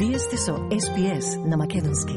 Вие сте со SPS на Македонски.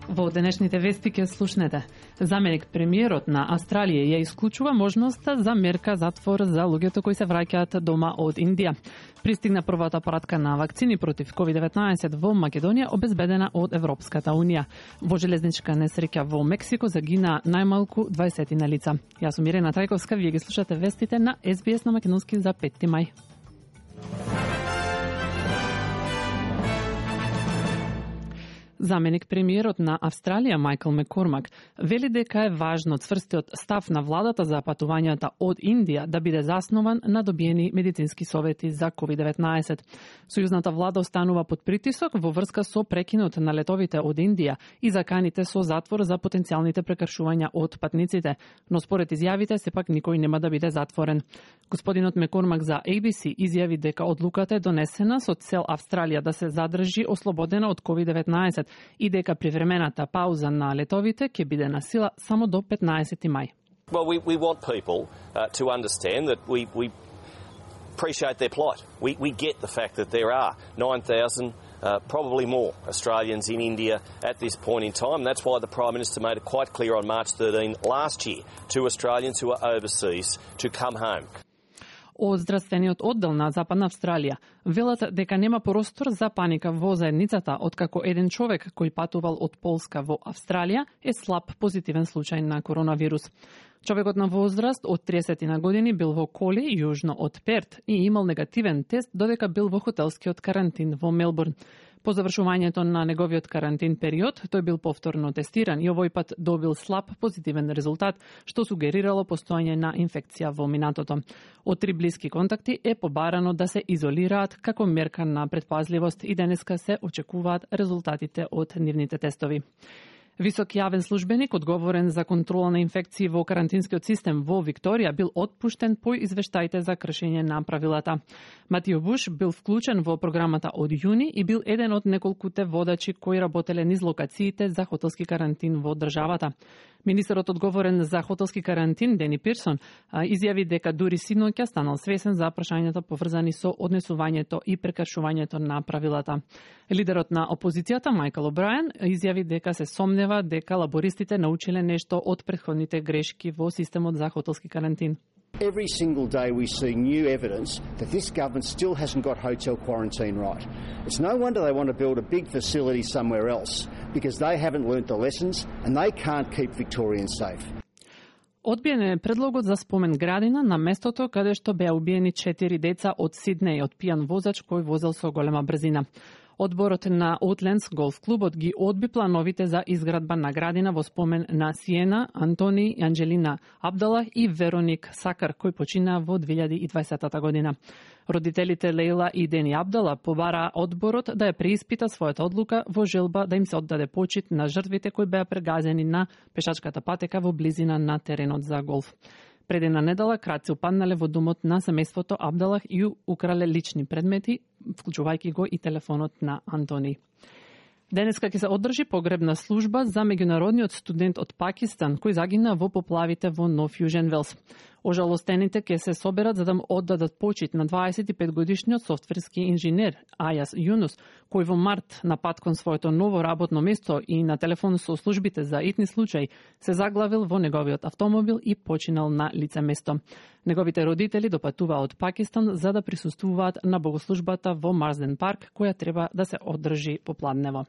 Во денешните вести ќе слушнете. Заменик премиерот на Австралија ја исклучува можноста за мерка затвор за луѓето кои се враќаат дома од Индија. Пристигна првата пратка на вакцини против COVID-19 во Македонија, обезбедена од Европската Унија. Во железничка несреќа во Мексико загина најмалку 20 лица. Јас сум Ирена Трајковска, вие ги слушате вестите на SBS на Македонски за 5 мај. Заменик премиерот на Австралија Майкл Маккормак вели дека е важно цврстиот став на владата за патувањата од Индија да биде заснован на добиени медицински совети за COVID-19. Сојузната влада останува под притисок во врска со прекинот на летовите од Индија и заканите со затвор за потенцијалните прекршувања од патниците, но според изјавите сепак никој нема да биде затворен. Господинот Маккормак за ABC изјави дека одлуката е донесена со цел Австралија да се задржи ослободена од COVID-19 и дека привремената пауза на летовите ќе биде на сила само до 15 мај. Well, we want people to understand that we appreciate their plight. We get the fact that there are 9,000, probably more Australians in India at this point in time. That's why the Prime Minister made it quite clear on March 13 last year to Australians who are overseas to come home. Од здравствениот оддел на Западна Австралија велат дека нема простор за паника во заедницата, откако еден човек кој патувал од Полска во Австралија е слаб позитивен случај на коронавирус. Човекот на возраст од 30 години бил во Коли, јужно од Перт, и имал негативен тест додека бил во хотелскиот карантин во Мелбурн. По завршувањето на неговиот карантин период, тој бил повторно тестиран и овој пат добил слаб позитивен резултат, што сугерирало постојање на инфекција во минатото. Од 3 блиски контакти е побарано да се изолираат како мерка на предпазливост и денеска се очекуваат резултатите од нивните тестови. Висок јавен службеник, одговорен за контрола на инфекции во карантинскиот систем во Викторија, бил отпуштен по извештаите за кршење на правилата. Матио Буш бил вклучен во програмата од јуни и бил еден од неколкуте водачи кои работеле низ локациите за хотелски карантин во државата. Министерот одговорен за хотелски карантин, Дени Пирсон, изјави дека дури синоќа станал свесен за прашањата поврзани со однесувањето и прекршувањето на правилата. Лидерот на опозицијата, Майкл О'Брајен, изјави дека се сомнева дека лабористите научиле нешто од претходните грешки во системот за хотелски карантин. Every single day we see new evidence that this government still hasn't got hotel quarantine right. It's no wonder they want to build a big facility somewhere else, because they haven't learnt the lessons and they can't keep Victorians safe. Одбиен е предлогот за спомен градина на местото каде што беа убиени 4 деца од Сиднеј од пијан возач кој возел со голема брзина. Одборот на Outlands голф клубот ги одби плановите за изградба на градина во спомен на Сиена, Антони, Анджелина Абдала и Вероник Сакар, кој почина во 2020 година. Родителите Лейла и Дени Абдала побара одборот да ја преиспита својата одлука во желба да им се оддаде почит на жртвите кои беа прегазени на пешачката патека во близина на теренот за голф. Пред една недела крадци упаднале во домот на семејството Абдалах и украле лични предмети, вклучувајќи го и телефонот на Антони. Денеска ќе се одржи погребна служба за меѓународниот студент од Пакистан кој загина во поплавите во Нов Јужен Велс. Ожалостените ќе се соберат за да му оддадат почит на 25-годишниот софтверски инженер Ајас Јунус, кој во март на пат кон своето ново работно место и на телефон со службите за итни случаи се заглавил во неговиот автомобил и починал на лице место. Неговите родители допатуваа од Пакистан за да присуствуваат на богослужбата во Марсден парк, која треба да се одржи попладнево.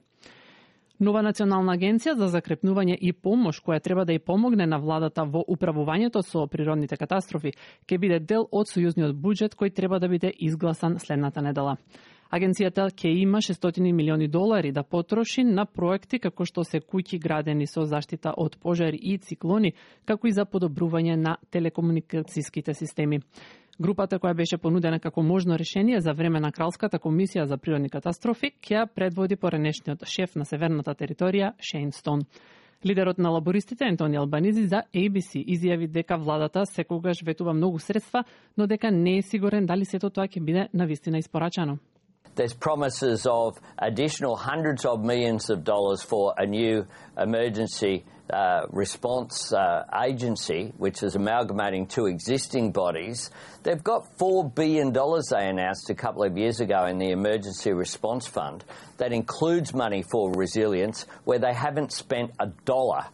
Нова национална агенција за закрепнување и помош, која треба да ја помогне на владата во управувањето со природните катастрофи, ќе биде дел од сојузниот буџет кој треба да биде изгласан следната недела. Агенцијата ќе има $600 милиони да потроши на проекти како што се куќи градени со заштита од пожари и циклони, како и за подобрување на телекомуникацијските системи. Групата која беше понудена како можно решение за време на Кралската комисија за природни катастрофи ќе ја предводи поранешниот шеф на северната територија Шейн Стоун. Лидерот на лабористите Антони Албанизи за ABC изјави дека владата секогаш ветува многу средства, но дека не е сигурен дали сето тоа ќе биде навистина испорачано. There's promises of additional hundreds of millions of dollars for a new emergency response agency, which is amalgamating two existing bodies. They've got $4 billion they announced a couple of years ago in the Emergency Response Fund that includes money for resilience, where they haven't spent a dollar.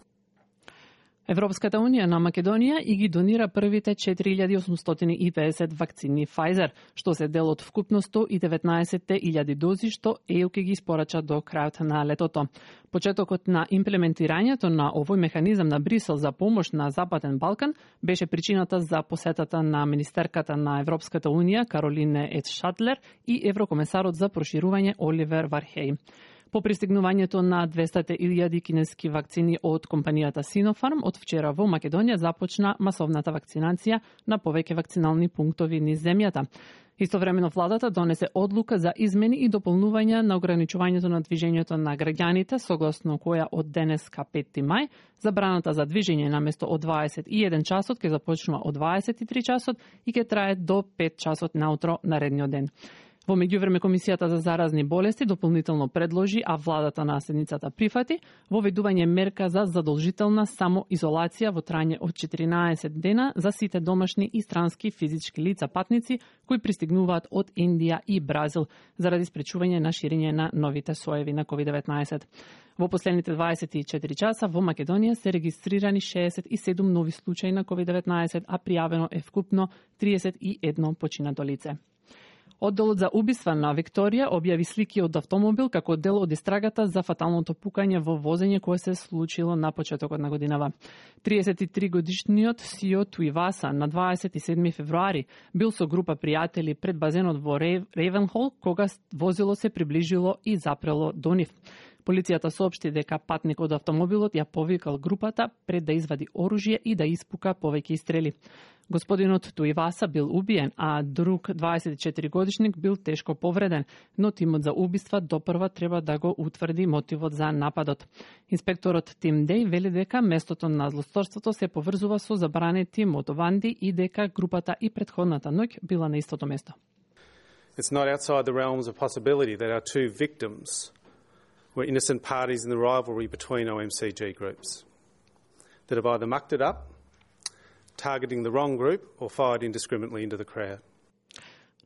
Европската унија на Македонија и ги донира првите 4850 вакцини Pfizer, што се дел од вкупно 119.000 дози што ЕУ ќе ги испорача до крајот на летото. Почетокот на имплементирањето на овој механизам на Брисел за помош на Западен Балкан беше причината за посетата на министерката на Европската унија Каролине Ед Шатлер и еврокомесарот за проширување Оливер Вархеј. По пристигнувањето на 200.000 кинески вакцини од компанијата Sinopharm, од вчера во Македонија започна масовната вакцинација на повеќе вакцинални пунктови низ земјата. Истовремено владата донесе одлука за измени и дополнување на ограничувањето на движењето на граѓаните, согласно која од денеска 5 мај, забраната за движење наместо од 21 часот ќе започнува од 23 часот и ќе трае до 5 часот наутро наредниот ден. Во меѓувреме Комисијата за заразни болести дополнително предложи, а владата на седницата прифати, воведување мерка за задолжителна самоизолација во трајање од 14 дена за сите домашни и странски физички лица патници кои пристигнуваат од Индија и Бразил заради спречување на ширење на новите соеви на COVID-19. Во последните 24 часа во Македонија се регистрирани 67 нови случаи на COVID-19, а пријавено е вкупно 31 починато лице. Одделот за убиства на Викторија објави слики од автомобил како дел од истрагата за фаталното пукање во возење кое се случило на почетокот на годинава. 33-годишниот Сио Туиваса на 27 февруари бил со група пријатели пред базенот во Рейвенхол кога возило се приближило и запрело до нив. Полицијата соопшти дека патникот од автомобилот ја повикал групата пред да извади оружје и да испука повеќе стрели. Господинот Туиваса бил убиен, а друг 24-годишник бил тешко повреден, но тимот за убиства допрва треба да го утврди мотивот за нападот. Инспекторот Тим Деј вели дека местото на злосторството се поврзува со забранети мотованди и дека групата и претходната ноќ била на истото место. It's not outside the realms of possibility that our two victims were innocent parties in the rivalry between OMCG groups that have either mucked it up, targeting the wrong group, or fired indiscriminately into the crowd.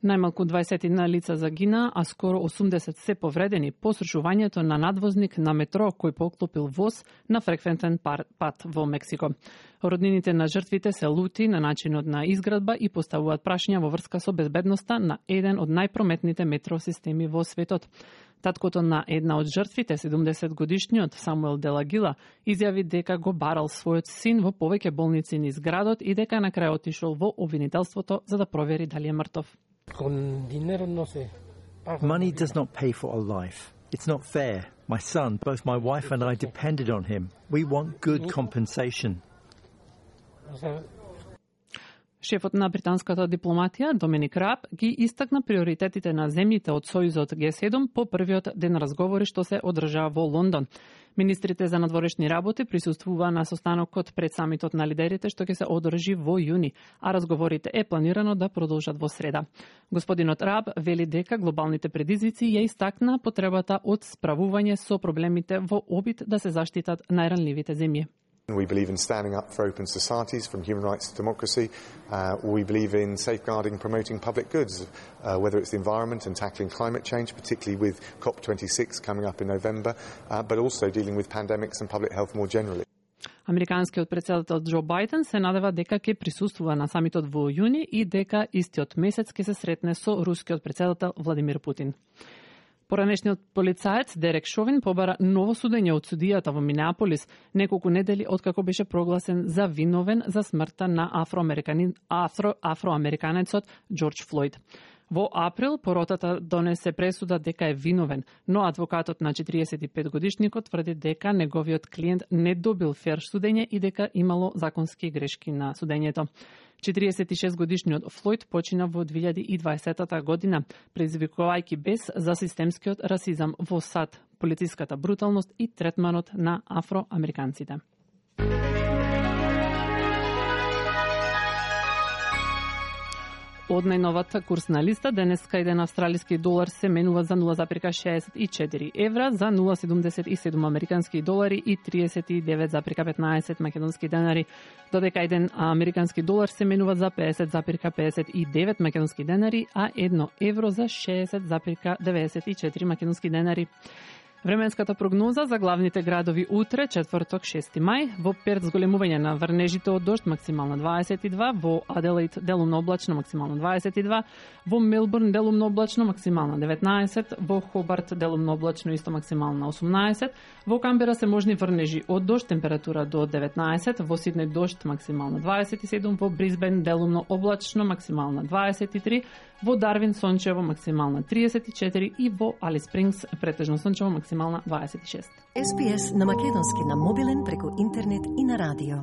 Најмалку 21 лица загина, а скоро 80 се повредени по срушувањето на надвозник на метро кој поклопил воз на фреквентен пат во Мексико. Роднините на жртвите се лути на начинот на изградба и поставуваат прашања во врска со безбедноста на еден од најпрометните метросистеми во светот. Таткото на една од жртвите, 70-годишниот Самуел Делагила, изјави дека го барал својот син во повеќе болници низ градот и дека на крај отишол во обвинителството за да провери дали е мртов. Money does not pay for a life. It's not fair. My son, both my wife and I depended on him. We want good compensation. Шефот на британската дипломатија, Доминик Раб, ги истакна приоритетите на земјите од Сојузот Г7 по првиот ден разговори што се одржаа во Лондон. Министрите за надворешни работи присуствуваа на состанокот пред самитот на лидерите што ќе се одржи во јуни, а разговорите е планирано да продолжат во среда. Господинот Раб вели дека глобалните предизвици ја истакна потребата од справување со проблемите во обид да се заштитат најранливите земји. We believe in standing up for open societies, from human rights to democracy. We believe in safeguarding and promoting public goods, whether it's the environment and tackling climate change, particularly with COP26 coming up in November, but also dealing with pandemics and public health more generally. Американскиот претседател Џо Бајден се надева дека ќе присуствува на самитот во јуни и дека истиот месец ќе се сретне со рускиот претседател Владимир Путин. Поранешниот полицаец Дерек Шовин побара ново судење од судијата во Минеаполис неколку недели откако беше прогласен за виновен за смртта на афроамериканецот Џорџ Флојд. Во април поротата донесе пресуда дека е виновен, но адвокатот на 45-годишникот тврди дека неговиот клиент не добил фер судење и дека имало законски грешки на судењето. 46-годишниот Флојд почина во 2020 година, предизвикувајќи бес за системскиот расизам во САД, полициската бруталност и третманот на афроамериканците. Од најновата курсна листа, денеска еден австралиски долар се менува за 0,64 евра, за 0,77 американски долари и 39,15 македонски денари, додека еден американски долар се менува за 50,59 македонски денари, а 1 евро за 60,94 македонски денари. Временската прогноза за главните градови утре, четврток, 6 мај, во Перт зголемување на врнежите од дожд, максимално 22, во Аделаид делумно облачно, максимално 22, во Мелбурн делумно облачно, максимално 19, во Хобарт делумно облачно, исто максимално 18, во Камбера се можни врнежи од дожд, температура до 19, во Сиднеј дожд, максимално 27, во Брисбен делумно облачно, максимално 23, во Дарвин сончево, максимално 34 и во Алис Спрингс претежно сончево, максимално 26. SPS на македонски на мобилен преку интернет и на радио.